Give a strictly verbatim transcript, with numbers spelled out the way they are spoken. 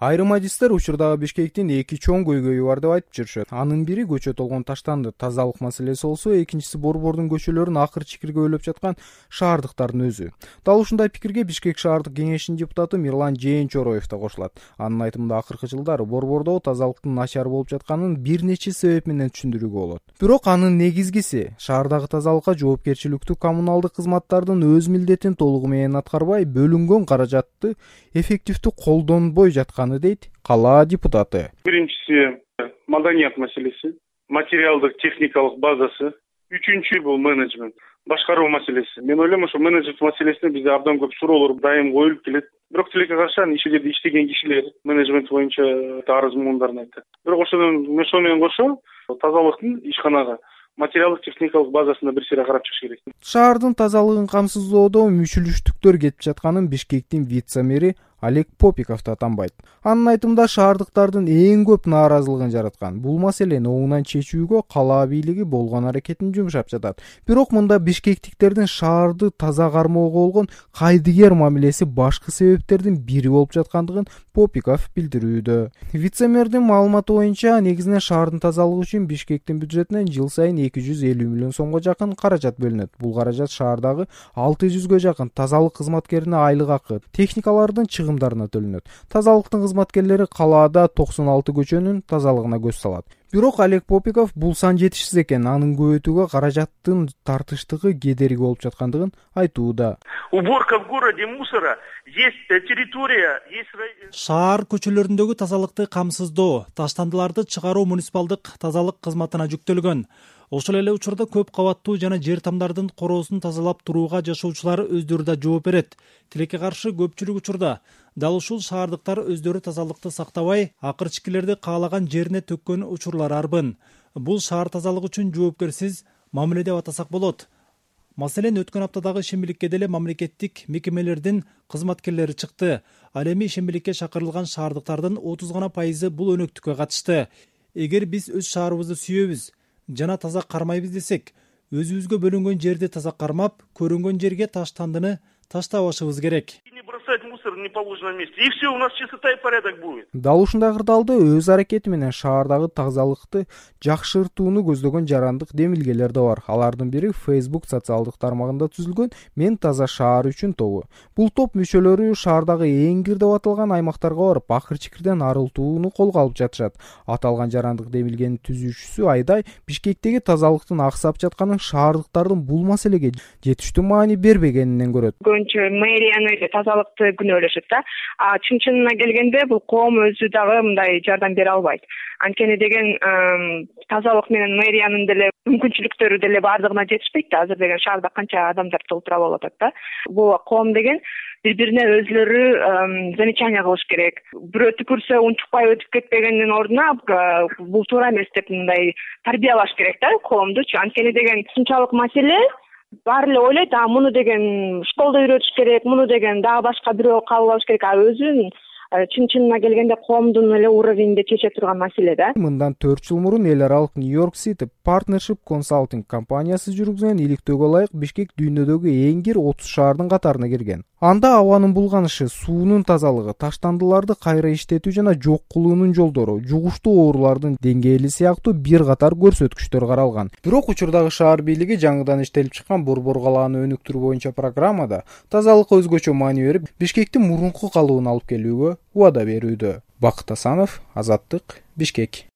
Айрым адистер учурдагы Бишкектин эки чоң көйгөйү бар деп айтып жүрүшөт. Анын бири көчө толгон таштанды тазалык маселеси болсо, экинчиси Борбордун көчөлөрүн акыр чикирге өйлөп жаткан шаардыктардын өзү. Дал ушундай пикирге Бишкек шаардык кеңешинин депутаты Мирлан Жээнчороев да кошулат. Анын айтымында акыркы жылдары Борбордо тазалыктын начар болуп жатканын бир нече себеп менен түшүндүрүүгө болот. Бирок анын негизгиси шаардагы тазалыкка жоопкерчиликтүү коммуналдык кызматтардын өз милдетин толугу менен аткарбай, бөлүнгөн каражатты эффективдүү колдонбой жатканы дейт кала депутаты. Биринчиси маданият маселеси, материалдык техникалык базасы, үчүнчү бул менеджмент, башкаруу маселеси. Мен ойлойм, ошо менеджмент маселесине бизде абдан көп суроолор дайым коюлуп келет. Бирок тилекке каршы анын иши жерде иштеген кишилер менеджмент боюнча арыз муңдарын айтты. Бирок ошонун ошо менен кошо тазалыктын ишканага материалдык техникалык базасына бир сыйра карап чыгыш керек. Шаардын тазалыгын камсыздоодо мүчүлүштүктөр кетип жатканын Бишкектин вице-мэри Олег Попиков да танбайт. Анын айтымында шаардыктардын эң көп нааразылыгын жараткан бул маселени оңунан чечүүгө кала бийлиги болгон аракетин жумшап жатат. Бирок мында бишкектиктердин шаарды таза кармоого болгон кайдыгер мамилеси башкы себептердин бири болуп жаткандыгын Попиков билдирүүдө. Вице-мэрдин маалыматы боюнча, негизинен шаардын тазалыгы үчүн Бишкектин бюджетинен жыл сайын эки жүз элүү миллион сомго жакын каражат бөлүнөт. Бул каражат шаардагы алты жүзгө жакын тазалык кызматкерине айлык акы, техникалардын чыгымдарына төлөнөт. Тазалыктын кызматкерлери калаада токсон алты көчөнүн тазалыгына көз салат. Бирок Олег Попиков бул сан жетишсиз экен, анын көбөйтүүгө каражаттын тартыштыгы кедерги болуп жаткандыгын айтууда. Уборка в городе мусора, есть территория, есть... Шаар көчөлөрүндөгү тазалыкты камсыздоо, таштандыларды чыгаруу муниципалдык тазалык кызматына жүктөлгөн. Ошол эле учурда көп кабаттуу жана жер тамдардын короосун тазалап турууга жашоочулар өздөрү да жооп берет. Тилекке каршы көпчүлүк учурда дал ушул шаардыктар өздөрү тазалыкты сактабай, акырчыкилерди каалаган жерине төккөн учурлар арбын. Бул шаар тазалыгы үчүн жоопкерсиз мамиле деп атасак болот. Маселен, өткөн аптадагы ишембиликке деле мамлекеттик мекемелердин кызматкерлери чыкты. Ал эми ишембиликке чакырылган шаардыктардын отуз гана пайызы бул өнөктүккө катышты. Эгер биз өз шаарыбызды сүйөбүз жана таза кармайбыз десек, өзүбүзгө бөлүнгөн жерди таза кармап, көрүнгөн жерге таштандыны таштабашыбыз керек. Не бросать мусор в неположенном месте. И все, у нас чистота и порядок будет. Дал ушундай кырдаалда өз аракети менен шаардагы тазалыкты жакшыртууну көздөгөн жарандык демилгелер да бар. Алардын бири Facebook социалдык тармагында түзүлгөн Мен таза шаар үчүн тобу. Бул топ мүчөлөрү шаардагы эң кир деп аталган аймактарга барып, акыр-чикирден арылтууну колго алып жатышат. Аталган жарандык демилгенин түзүүчүсү Айдай Бишкектеги тазалыктын аксап жатканын шаардыктардын бул маселеге жетиштүү маани бербегенинен көрөт. Мэрияны тазалыкты күнөөлөшөт да. А чын-чынына келгенде бул коом өзү дагы мындай жардам бере албайт. Анткени деген тазалык менен мэриянын деле мүмкүнчүлүктөрү деле баардыгына жетишпейт да. Азыр деген шаарда канча адамдар толтура болуп атат да. Бул коом деген бири-бирине өзлөрү замечание кылыш керек. Бирөө түкүрсө унчукпай өтүп кетпегендин ордуна бул туура эмес деп мындай тарбиялаш керек да коомдучу. Анткени деген ушунчалык маселе баары эле ойлойт, а муну деген школдо үйрөтүш керек, муну деген дагы башка бирөө кабыл алыш керек. А өзүн чын-чынына келгенде коомдун эле уровенинде чече турган маселе да. Мындан төрт жыл мурун эл аралык Нью-Йорк City Partnership Consulting компаниясы жүргүзгөн иликтөөгө ылайык Бишкек дүйнөдөгү эң кир отуз шаардын катарына кирген. Анда абанын булганышы, суунун тазалыгы, таштандыларды кайра иштетүү жана жок кылуунун жолдору, жугуштуу оорулардын деңгээли сыяктуу бир катар көрсөткүчтөр каралган. Бирок учурдагы шаар бийлиги жаңыдан иштелип чыккан Борбор калааны өнүктүрүү боюнча программада тазалыкка өзгөчө маани берип, Бишкектин мурунку калыбына алып келүүгө убада берүүдө. Бакыт Асанов, Азаттык, Бишкек.